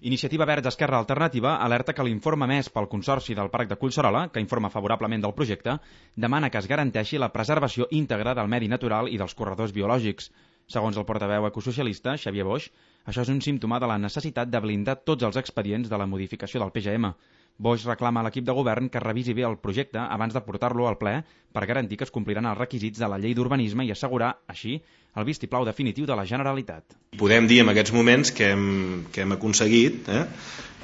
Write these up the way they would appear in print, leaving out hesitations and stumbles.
Iniciativa Verds Esquerra Alternativa alerta que l'informe emès pel Consorci del Parc de Collserola, que informa favorablement del projecte, demana que es garanteixi la preservació íntegra del medi natural i dels corredors biològics. Segons el portaveu ecosocialista, Xavier Boix, això és un símptoma de la necessitat de blindar tots els expedients de la modificació del PGM. Boix reclama a l'equip de govern que revisi bé el projecte abans de portar-lo al ple per garantir que es compliran els requisits de la llei d'urbanisme i assegurar, així, el vistiplau definitiu de la Generalitat. Podem dir en aquests moments que hem aconseguit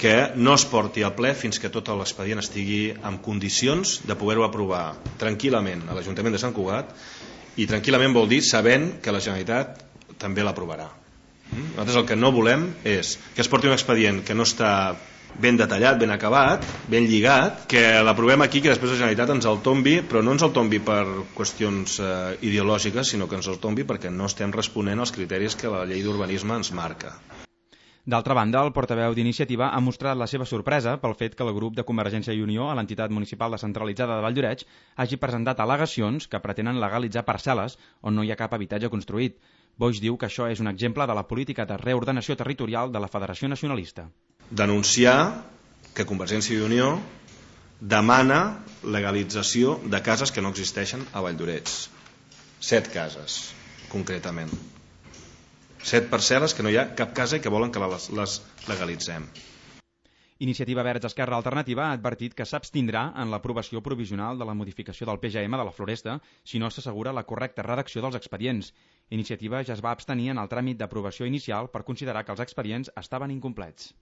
que no es porti al ple fins que tot l'expedient estigui en condicions de poder-ho aprovar tranquil·lament a l'Ajuntament de Sant Cugat, i tranquil·lament vol dir sabent que la Generalitat també l'aprovarà. Nosaltres el que no volem és que es porti un expedient que no està ben detallat, ben acabat, ben lligat, que l'aprovem aquí, que després la Generalitat ens el tombi, però no ens el tombi per qüestions ideològiques, sinó que ens el tombi perquè no estem responent als criteris que la llei d'urbanisme ens marca. D'altra banda, el portaveu d'Iniciativa ha mostrat la seva sorpresa pel fet que el grup de Convergència i Unió a l'entitat municipal descentralitzada de Valldoreix hagi presentat al·legacions que pretenen legalitzar parcel·les on no hi ha cap habitatge construït. Boix diu que això és un exemple de la política de reordenació territorial de la Federació Nacionalista. Denunciar que Convergència i Unió demana legalització de cases que no existeixen a Valldoreix. 7 cases, concretament. 7 parcel·les que no hi ha cap casa i que volen que les legalitzem. Iniciativa Verds Esquerra Alternativa ha advertit que s'abstindrà en l'aprovació provisional de la modificació del PGM de la Floresta si no s'assegura la correcta redacció dels expedients. Iniciativa ja es va abstenir en el tràmit d'aprovació inicial per considerar que els expedients estaven incomplets.